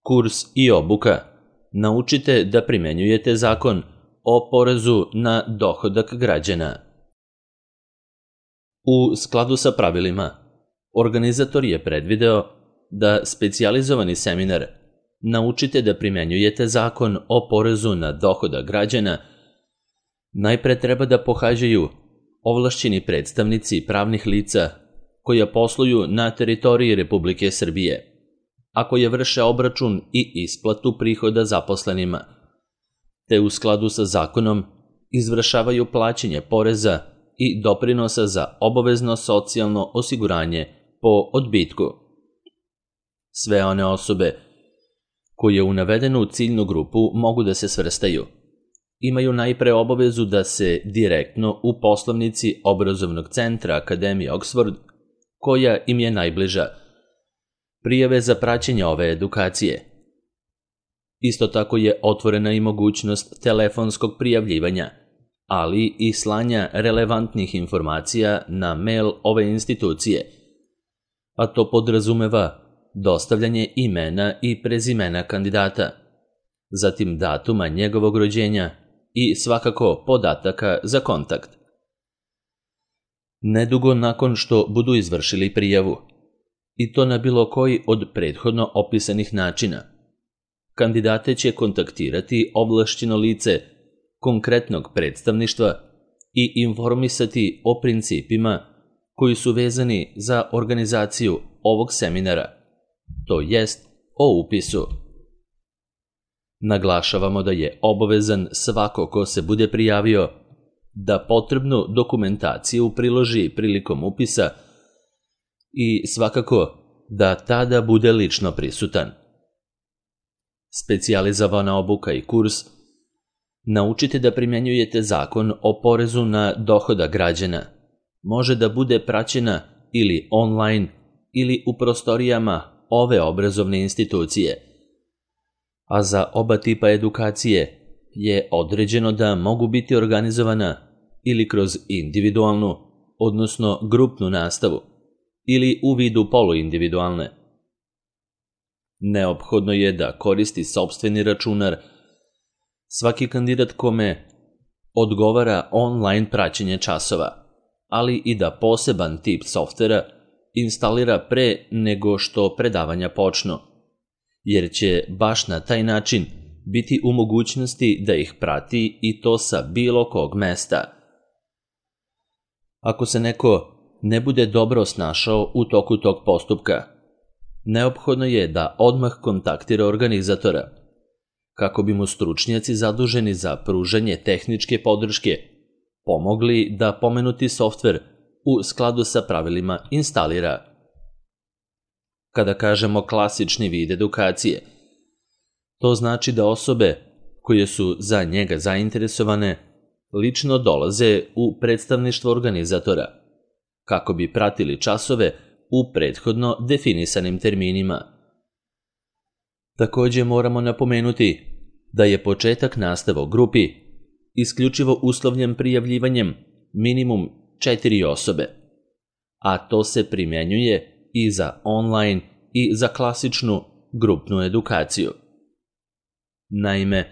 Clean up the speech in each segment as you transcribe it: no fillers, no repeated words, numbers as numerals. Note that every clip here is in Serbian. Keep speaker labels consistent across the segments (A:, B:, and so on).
A: Kurs i obuka. Naučite da primenjujete zakon o porezu na dohodak građana. U skladu sa pravilima, organizator je predvideo da specijalizovani seminar Naučite da primenjujete zakon o porezu na dohodak građana najpre treba da pohađaju ovlašćeni predstavnici pravnih lica koja posluju na teritoriji Republike Srbije, a koje vrše obračun i isplatu prihoda zaposlenima, te u skladu sa zakonom izvršavaju plaćanje poreza i doprinosa za obavezno socijalno osiguranje po odbitku. Sve one osobe koje u navedenu ciljnu grupu mogu da se svrstaju imaju najpre obavezu da se direktno u poslovnici obrazovnog centra Akademije Oxford, koja im je najbliža, prijave za praćenje ove edukacije. Isto tako je otvorena i mogućnost telefonskog prijavljivanja, ali i slanja relevantnih informacija na mail ove institucije, a to podrazumeva dostavljanje imena i prezimena kandidata, zatim datuma njegovog rođenja i svakako podataka za kontakt. Nedugo nakon što budu izvršili prijavu, i to na bilo koji od prethodno opisanih načina, kandidate će kontaktirati ovlašćeno lice konkretnog predstavništva i informisati o principima koji su vezani za organizaciju ovog seminara, to jest o upisu. Naglašavamo da je obavezan svako ko se bude prijavio da potrebnu dokumentaciju priloži prilikom upisa i svakako da tada bude lično prisutan. Specijalizovana obuka i kurs Naučite da primenjujete zakon o porezu na dohodak građana može da bude praćena ili online ili u prostorijama ove obrazovne institucije, a za oba tipa edukacije je određeno da mogu biti organizovana ili kroz individualnu, odnosno grupnu nastavu, ili u vidu poluindividualne. Neophodno je da koristi sopstveni računar. Svaki kandidat kome odgovara online praćenje časova, ali i da poseban tip softvera instalira pre nego što predavanja počnu, jer će baš na taj način biti u mogućnosti da ih prati i to sa bilo kog mesta. Ako se neko ne bude dobro snašao u toku tog postupka, neophodno je da odmah kontaktira organizatora, kako bi mu stručnjaci zaduženi za pružanje tehničke podrške pomogli da pomenuti softver u skladu sa pravilima instalira. Kada kažemo klasični vid edukacije, to znači da osobe koje su za njega zainteresovane lično dolaze u predstavništvo organizatora, kako bi pratili časove u prethodno definisanim terminima. Takođe moramo napomenuti da je početak nastave u grupi isključivo uslovljen prijavljivanjem minimum 4 osobe, a to se primenjuje i za online i za klasičnu grupnu edukaciju. Naime,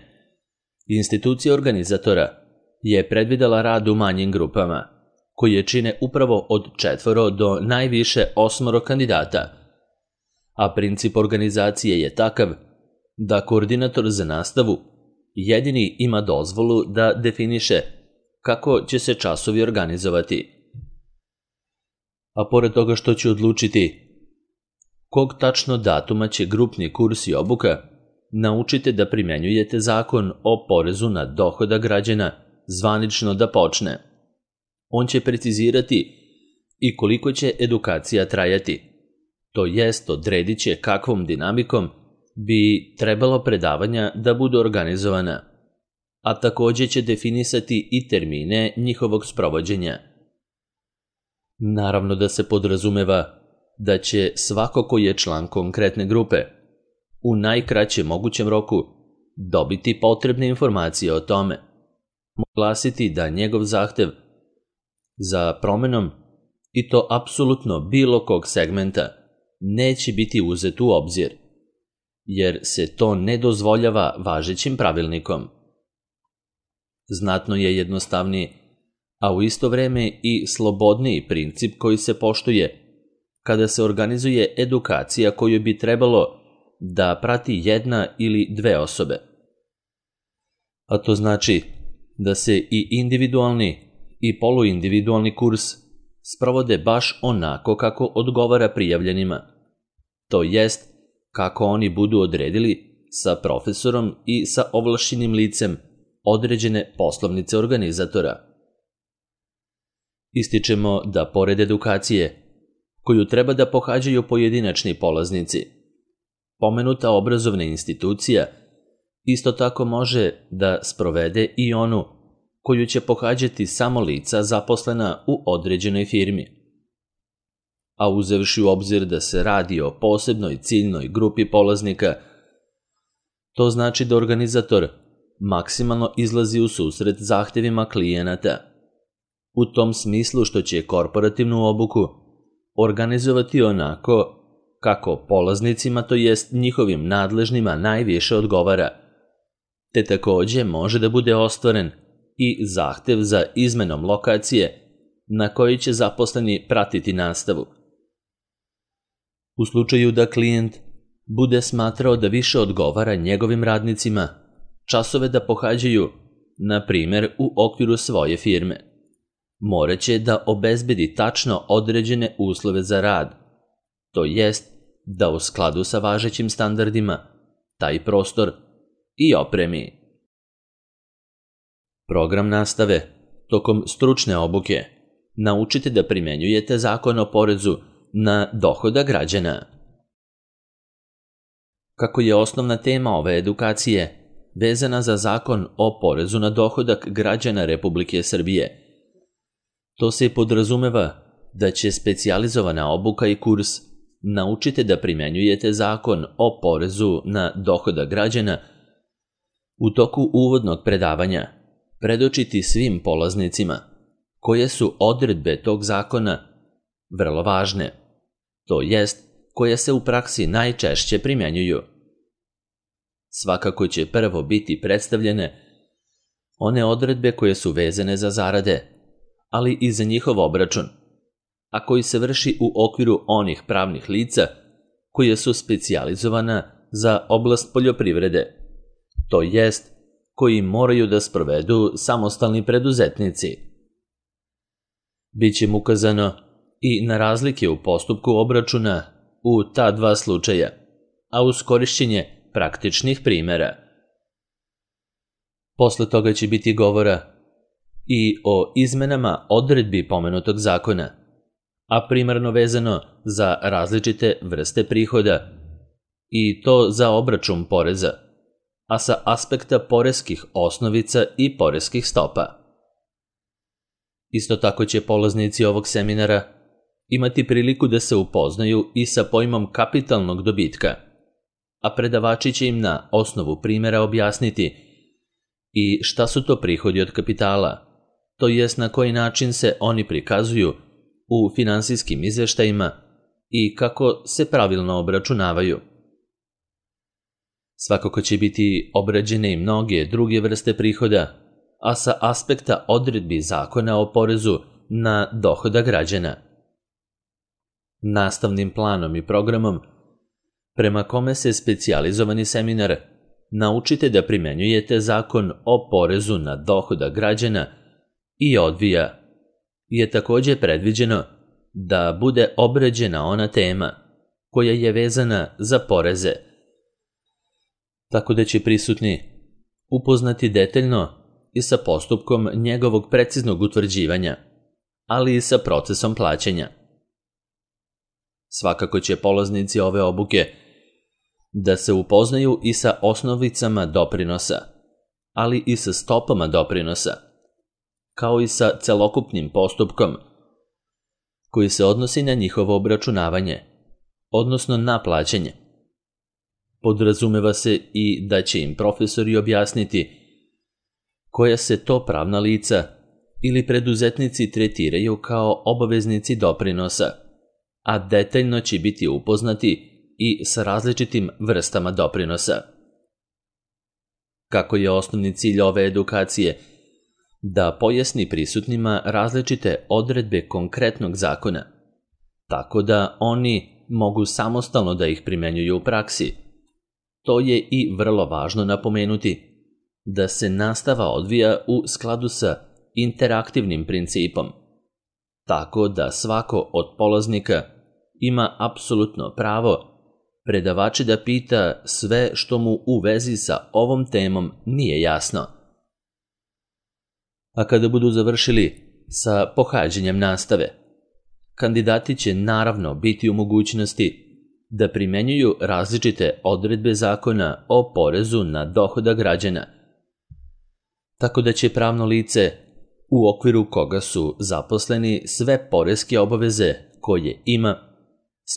A: institucija organizatora je predvidela rad u manjim grupama, koje čine upravo od 4 do najviše 8 kandidata, a princip organizacije je takav da koordinator za nastavu jedini ima dozvolu da definiše kako će se časovi organizovati. A pored toga što će odlučiti kog tačno datuma će grupni kurs i obuka, naučite da primenjujete zakon o porezu na dohodak građana zvanično da počne. On će precizirati i koliko će edukacija trajati, to jest odredit će kakvom dinamikom bi trebalo predavanja da budu organizovana, a takođe će definisati i termine njihovog sprovođenja. Naravno da se podrazumeva da će svako ko je član konkretne grupe u najkraćem mogućem roku dobiti potrebne informacije o tome. Glasiti da njegov zahtev za promenom, i to apsolutno bilo kog segmenta, neće biti uzet u obzir. jer se to ne dozvoljava važećim pravilnikom. Znatno je jednostavniji, a u isto vreme i slobodniji princip koji se poštuje kada se organizuje edukacija koju bi trebalo da prati jedna ili dve osobe. A to znači da se i individualni i poluindividualni kurs sprovode baš onako kako odgovara prijavljenima, to jest kako oni budu odredili sa profesorom i sa ovlašćenim licem određene poslovnice organizatora. Ističemo da pored edukacije, koju treba da pohađaju pojedinačni polaznici, pomenuta obrazovna institucija isto tako može da sprovede i onu koju će pohađati samo lica zaposlena u određenoj firmi. A uzevši u obzir da se radi o posebnoj ciljnoj grupi polaznika, to znači da organizator maksimalno izlazi u susret zahtevima klijenata, u tom smislu što će korporativnu obuku organizovati onako kako polaznicima, to jest njihovim nadležnima, najviše odgovara, te takođe može da bude ostvaren i zahtev za izmenom lokacije na kojoj će zaposleni pratiti nastavu. U slučaju da klijent bude smatrao da više odgovara njegovim radnicima časove da pohađaju, na primer, u okviru svoje firme, moraće da obezbedi tačno određene uslove za rad, to jest da u skladu sa važećim standardima taj prostor i opremi. Program nastave. Tokom stručne obuke naučite da primenjujete Zakon o porezu na dohodak građana. Kako je osnovna tema ove edukacije vezana za Zakon o porezu na dohodak građana Republike Srbije, to se podrazumeva da će specijalizovana obuka i kurs naučite da primenjujete Zakon o porezu na dohodak građana u toku uvodnog predavanja predočiti svim polaznicima koje su odredbe tog zakona vrlo važne, to jest koje se u praksi najčešće primenjuju. Svakako će prvo biti predstavljene one odredbe koje su vezane za zarade, ali i za njihov obračun, a koji se vrši u okviru onih pravnih lica koje su specijalizovana za oblast poljoprivrede, to jest koji moraju da sprovedu samostalni preduzetnici. Biće mu ukazano i na razlike u postupku obračuna u ta dva slučaja, a uz korišćenje praktičnih primera. Posle toga će biti govora i o izmenama odredbi pomenutog zakona, a primarno vezano za različite vrste prihoda, i to za obračun poreza, a sa aspekta poreskih osnovica i poreskih stopa. Isto tako će polaznici ovog seminara imati priliku da se upoznaju i sa pojmom kapitalnog dobitka, a predavači će im na osnovu primera objasniti i šta su to prihodi od kapitala, to jest na koji način se oni prikazuju u finansijskim izveštajima i kako se pravilno obračunavaju. Svakako će biti obrađene i mnoge druge vrste prihoda, a sa aspekta odredbi Zakona o porezu na dohodak građana. Nastavnim planom i programom, prema kome se specijalizovani seminar naučite da primenjujete Zakon o porezu na dohodak građana i odvija, je takođe predviđeno da bude obrađena ona tema koja je vezana za poreze, tako da će prisutni upoznati detaljno i sa postupkom njegovog preciznog utvrđivanja, ali i sa procesom plaćanja. Svakako će polaznici ove obuke da se upoznaju i sa osnovicama doprinosa, ali i sa stopama doprinosa, kao i sa celokupnim postupkom koji se odnosi na njihovo obračunavanje, odnosno na plaćanje. Podrazumeva se i da će im profesori objasniti koja se to pravna lica ili preduzetnici tretiraju kao obaveznici doprinosa, a detaljno će biti upoznati i sa različitim vrstama doprinosa. Kako je osnovni cilj ove edukacije? Da pojasni prisutnima različite odredbe konkretnog zakona, tako da oni mogu samostalno da ih primenjuju u praksi. To je i vrlo važno napomenuti, da se nastava odvija u skladu sa interaktivnim principom, tako da svako od polaznika ima apsolutno pravo predavače da pita sve što mu u vezi sa ovom temom nije jasno. A kada budu završili sa pohađanjem nastave, kandidati će naravno biti u mogućnosti da primenjuju različite odredbe zakona o porezu na dohodak građana, tako da će pravno lice u okviru koga su zaposleni sve poreske obaveze koje ima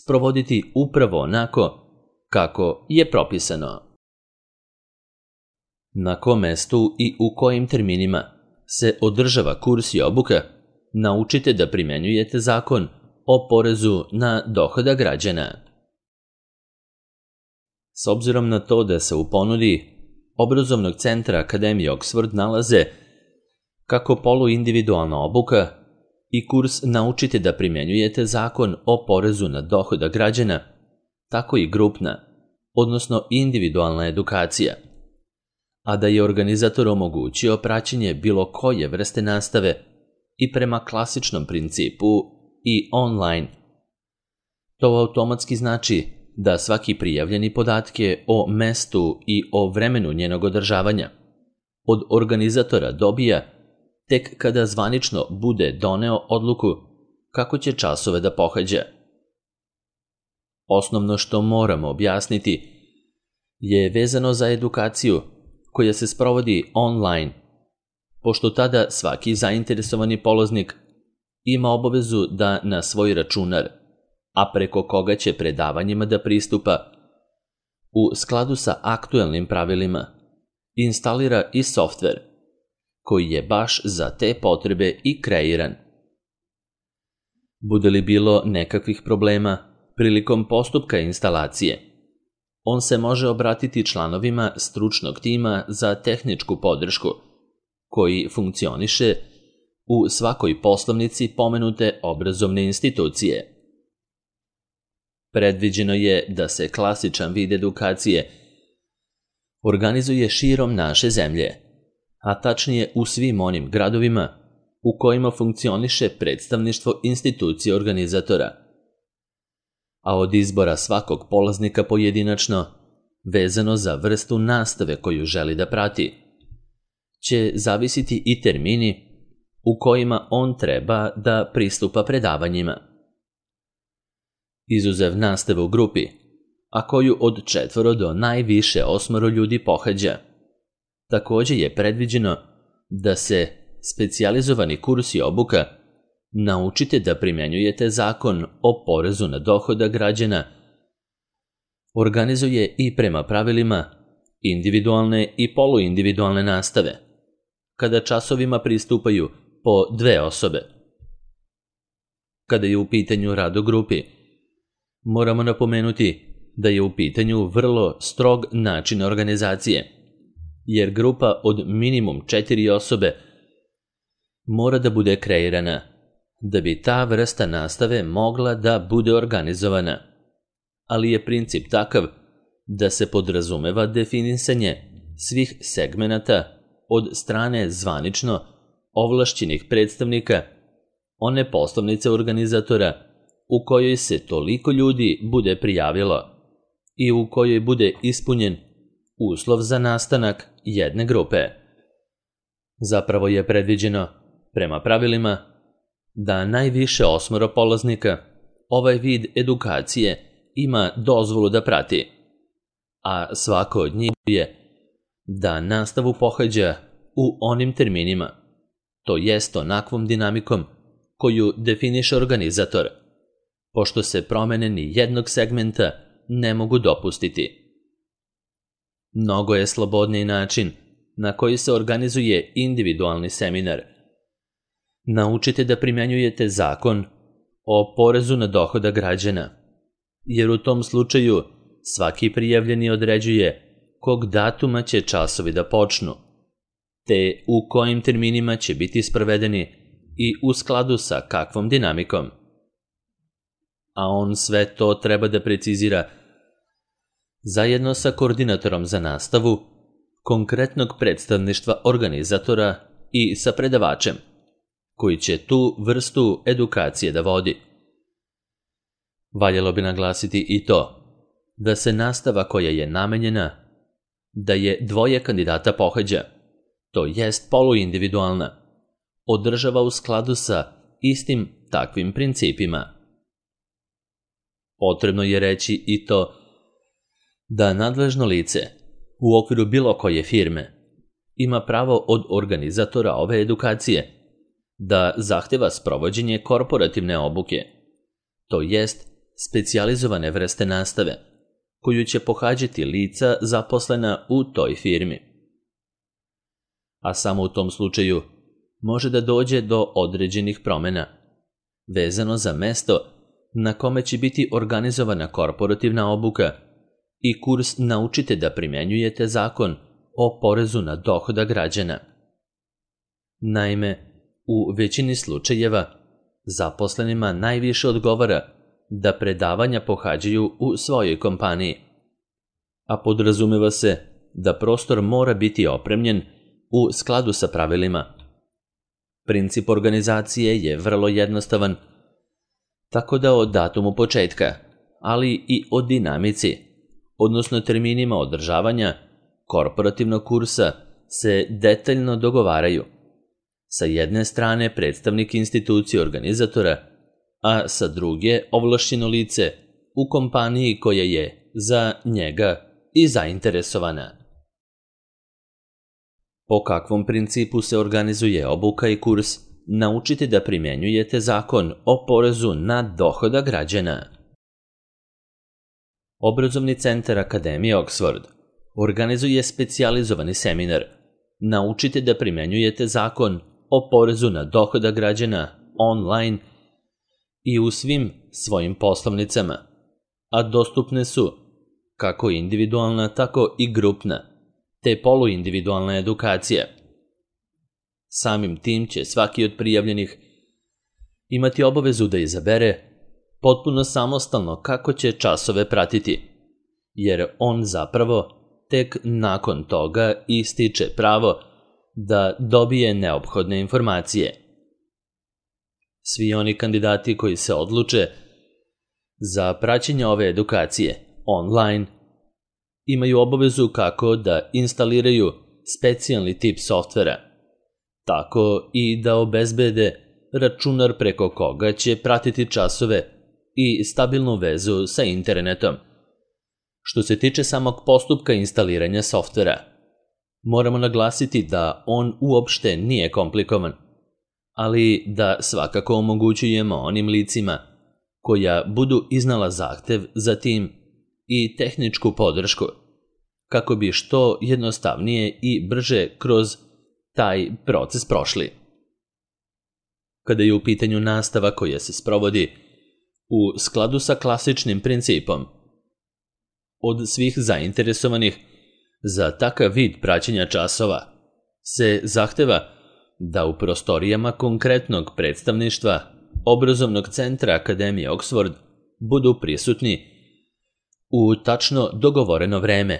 A: sprovoditi upravo onako kako je propisano. Na kom mestu i u kojim terminima se održava kurs i obuka, naučite da primenjujete zakon o porezu na dohodak građana. S obzirom na to da se u ponudi obrazovnog centra Akademije Oxford nalaze kako poluindividualna obuka i kurs naučite da primenjujete zakon o porezu na dohodak građana, tako i grupna, odnosno individualna edukacija, a da je organizator omogućio praćenje bilo koje vrste nastave i prema klasičnom principu i online. To automatski znači da svaki prijavljeni podatke o mestu i o vremenu njenog održavanja od organizatora dobija tek kada zvanično bude doneo odluku kako će časove da pohađa. Osnovno što moramo objasniti je vezano za edukaciju koja se sprovodi online, pošto tada svaki zainteresovani polaznik ima obavezu da na svoj računar, a preko koga će predavanjima da pristupa, u skladu sa aktuelnim pravilima, instalira i softver, koji je baš za te potrebe i kreiran. Bude li bilo nekakvih problema prilikom postupka instalacije, on se može obratiti članovima stručnog tima za tehničku podršku, koji funkcioniše u svakoj poslovnici pomenute obrazovne institucije. Predviđeno je da se klasičan vid edukacije organizuje širom naše zemlje, a tačnije u svim onim gradovima u kojima funkcioniše predstavništvo institucije organizatora. A od izbora svakog polaznika pojedinačno, vezano za vrstu nastave koju želi da prati, će zavisiti i termini u kojima on treba da pristupa predavanjima. Izuzev nastave u grupi, a koju od 4 do najviše 8 ljudi pohađa, takođe je predviđeno da se specijalizovani kurs i obuka naučite da primenjujete zakon o porezu na dohodak građana organizuje i prema pravilima individualne i poluindividualne nastave, kada časovima pristupaju po 2 osobe. Kada je u pitanju rad u grupi, moramo napomenuti da je u pitanju vrlo strog način organizacije, jer grupa od minimum 4 osobe mora da bude kreirana da bi ta vrsta nastave mogla da bude organizovana, ali je princip takav da se podrazumeva definisanje svih segmenata od strane zvanično ovlašćenih predstavnika one poslovnice organizatora u kojoj se toliko ljudi bude prijavilo i u kojoj bude ispunjen uslov za nastanak jedne grupe. Zapravo je predviđeno, prema pravilima, da najviše 8 polaznika ovaj vid edukacije ima dozvolu da prati, a svako od njih je da nastavu pohađa u onim terminima, to jest onakvom dinamikom koju definiše organizator, pošto se promene ni jednog segmenta ne mogu dopustiti. Mnogo je slobodniji način na koji se organizuje individualni seminar. Naučite da primenjujete zakon o porezu na dohodak građana jer u tom slučaju svaki prijavljeni određuje kog datuma će časovi da počnu, te u kojim terminima će biti sprovedeni i u skladu sa kakvom dinamikom. A on sve to treba da precizira zajedno sa koordinatorom za nastavu, konkretnog predstavništva organizatora i sa predavačem, koji će tu vrstu edukacije da vodi. Valjalo bi naglasiti i to da se nastava koja je namenjena da je dvoje kandidata pohađa, to jest poluindividualna, održava u skladu sa istim takvim principima. Potrebno je reći i to da nadležno lice u okviru bilo koje firme ima pravo od organizatora ove edukacije da zahteva sprovođenje korporativne obuke, to jest specijalizovane vrste nastave, koju će pohađati lica zaposlena u toj firmi. A samo u tom slučaju može da dođe do određenih promjena, vezano za mesto na kome će biti organizovana korporativna obuka i kurs Naučite da primenjujete zakon o porezu na dohodak građana. Naime, u većini slučajeva zaposlenima najviše odgovara da predavanja pohađaju u svojoj kompaniji, a podrazumeva se da prostor mora biti opremljen u skladu sa pravilima. Princip organizacije je vrlo jednostavan, tako da o datumu početka, ali i o dinamici, odnosno terminima održavanja korporativnog kursa se detaljno dogovaraju. Sa jedne strane predstavnik institucije organizatora, a sa druge ovlašćeno lice u kompaniji koja je za njega i zainteresovana. Po kakvom principu se organizuje obuka i kurs Naučite da primenjujete zakon o porezu na dohodak građana? Obrazovni centar Akademije Oxford organizuje specijalizovani seminar Naučite da primenjujete zakon o porezu na dohodak građana online i u svim svojim poslovnicama, a dostupne su kako individualna, tako i grupna, te poluindividualna edukacija. Samim tim će svaki od prijavljenih imati obavezu da izabere potpuno samostalno kako će časove pratiti, jer on zapravo tek nakon toga ističe pravo da dobije neophodne informacije. Svi oni kandidati koji se odluče za praćenje ove edukacije online imaju obavezu kako da instaliraju specijalni tip softvera, tako i da obezbede računar preko koga će pratiti časove i stabilnu vezu sa internetom. Što se tiče samog postupka instaliranja softvera, moramo naglasiti da on uopšte nije komplikovan, ali da svakako omogućujemo onim licima koja budu iznala zahtev za tim i tehničku podršku, kako bi što jednostavnije i brže kroz taj proces prošli. Kada je u pitanju nastava koja se sprovodi u skladu sa klasičnim principom, od svih zainteresovanih za takav vid praćenja časova se zahteva da u prostorijama konkretnog predstavništva Obrazovnog centra Akademije Oxford budu prisutni u tačno dogovoreno vreme,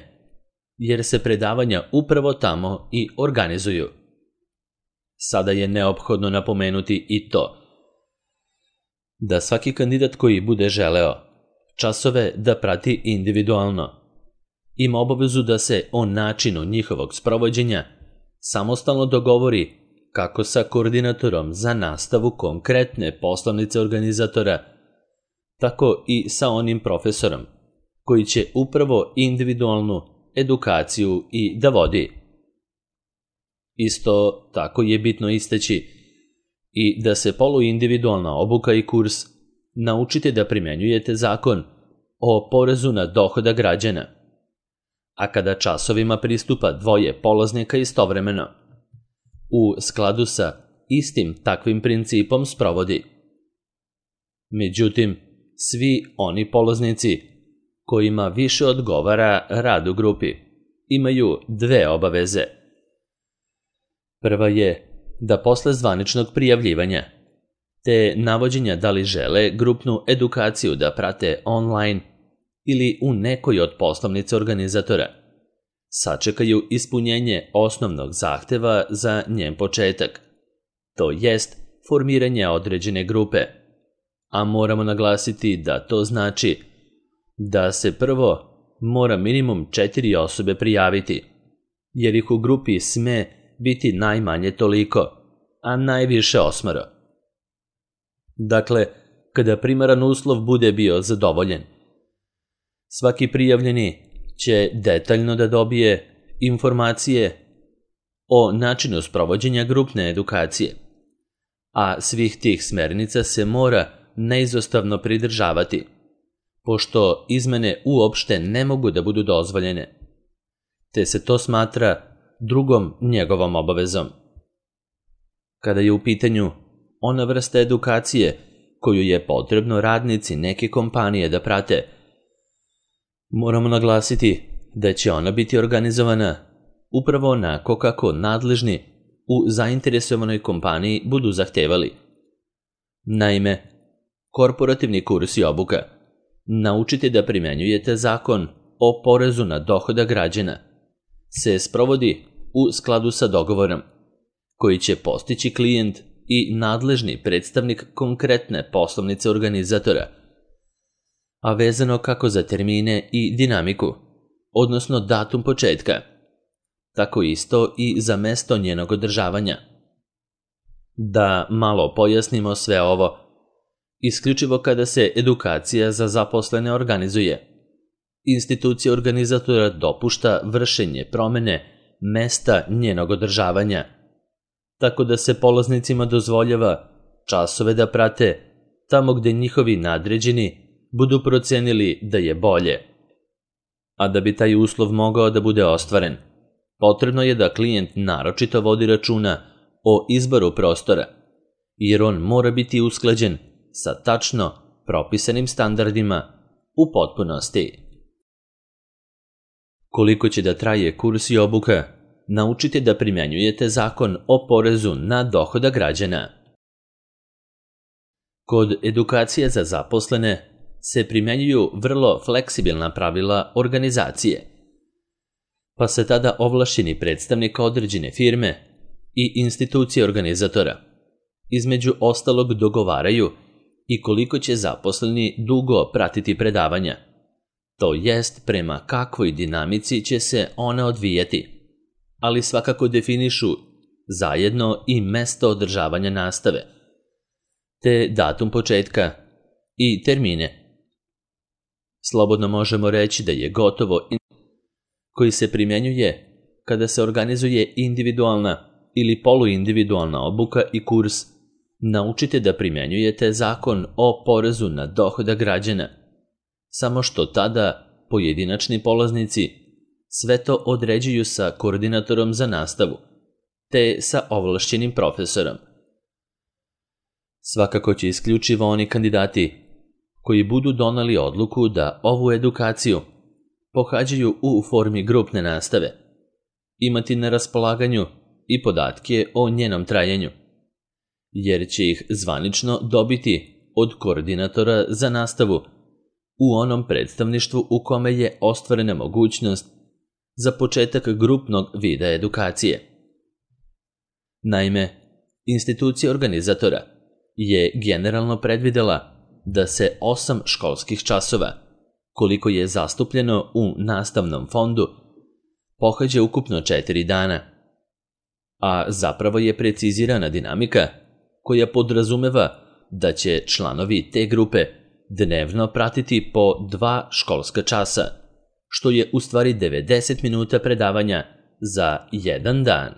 A: jer se predavanja upravo tamo i organizuju. Sada je neophodno napomenuti i to da svaki kandidat koji bude želeo časove da prati individualno ima obavezu da se o načinu njihovog sprovođenja samostalno dogovori kako sa koordinatorom za nastavu konkretne poslovnice organizatora, tako i sa onim profesorom koji će upravo individualnu edukaciju i da vodi. Isto tako je bitno istaći i da se poluindividualna obuka i kurs Naučite da primenjujete zakon o porezu na dohodak građana, a kada časovima pristupa dvoje polaznika istovremeno, u skladu sa istim takvim principom sprovodi. Međutim, svi oni polaznici kojima više odgovara rad u grupi imaju dve obaveze. Prva je da posle zvaničnog prijavljivanja te navođenja da li žele grupnu edukaciju da prate online ili u nekoj od poslovnica organizatora, sačekaju ispunjenje osnovnog zahteva za njen početak, to jest formiranje određene grupe, a moramo naglasiti da to znači da se prvo mora minimum 4 osobe prijaviti, jer ih u grupi sme biti najmanje toliko, a najviše 8. Dakle, kada primaran uslov bude bio zadovoljen, svaki prijavljeni će detaljno da dobije informacije o načinu sprovođenja grupne edukacije, a svih tih smernica se mora neizostavno pridržavati, pošto izmene uopšte ne mogu da budu dozvoljene, te se to smatra drugom njegovom obavezom. Kada je u pitanju ona vrsta edukacije koju je potrebno radnici neke kompanije da prate, moramo naglasiti da će ona biti organizovana upravo onako kako nadležni u zainteresovanoj kompaniji budu zahtevali. Naime, korporativni kurs i obuka Naučite da primenjujete zakon o porezu na dohodak građana se sprovodi u skladu sa dogovorom koji će postići klijent i nadležni predstavnik konkretne poslovnice organizatora, a vezano kako za termine i dinamiku, odnosno datum početka, tako isto i za mesto njenog održavanja. Da malo pojasnimo sve ovo, isključivo kada se edukacija za zaposlene organizuje, institucija organizatora dopušta vršenje promene mesta njenog održavanja, tako da se polaznicima dozvoljava časove da prate tamo gde njihovi nadređeni budu procenili da je bolje. A da bi taj uslov mogao da bude ostvaren, potrebno je da klijent naročito vodi računa o izboru prostora, jer on mora biti usklađen sa tačno propisanim standardima u potpunosti. Koliko će da traje kurs i obuka, naučite da primenjujete zakon o porezu na dohodak građana. Kod edukacije za zaposlene se primenjuju vrlo fleksibilna pravila organizacije, pa se tada ovlašćeni predstavnik određene firme i institucije organizatora između ostalog dogovaraju i koliko će zaposleni dugo pratiti predavanja, to jest prema kakvoj dinamici će se one odvijati, ali svakako definišu zajedno i mesto održavanja nastave, te datum početka i termine. Slobodno možemo reći da je gotovo koji se primenjuje kada se organizuje individualna ili poluindividualna obuka i kurs, naučite da primenjujete zakon o porezu na dohodak građana, samo što tada pojedinačni polaznici sve to određuju sa koordinatorom za nastavu, te sa ovlašćenim profesorom. Svakako će isključivo oni kandidati koji budu doneli odluku da ovu edukaciju pohađaju u formi grupne nastave, imati na raspolaganju i podatke o njenom trajanju, jer će ih zvanično dobiti od koordinatora za nastavu u onom predstavništvu u kome je ostvarena mogućnost za početak grupnog vida edukacije. Naime, institucija organizatora je generalno predvidela da se 8 školskih časova, koliko je zastupljeno u nastavnom fondu, pohađa ukupno 4 dana, a zapravo je precizirana dinamika koja podrazumeva da će članovi te grupe dnevno pratiti po 2 školska časa, što je u stvari 90 minuta predavanja za jedan dan.